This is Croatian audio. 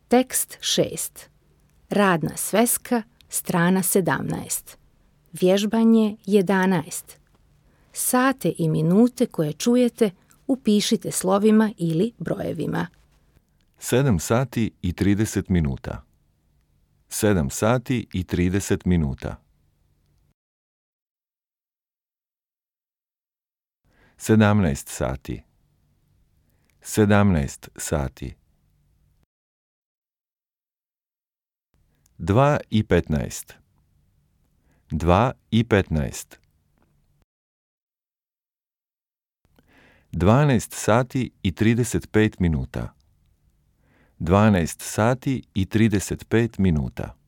Tekst 6. Radna sveska, strana 17. Vježbanje 11. Sate i minute koje čujete upišite slovima ili brojevima. 7 sati i 30 minuta. 7 sati i 30 minuta. 17 sati. 17 sati. 2 i 15. 2 i 15. 12 sati i 35 minuta. 12 sati i 35 minuta.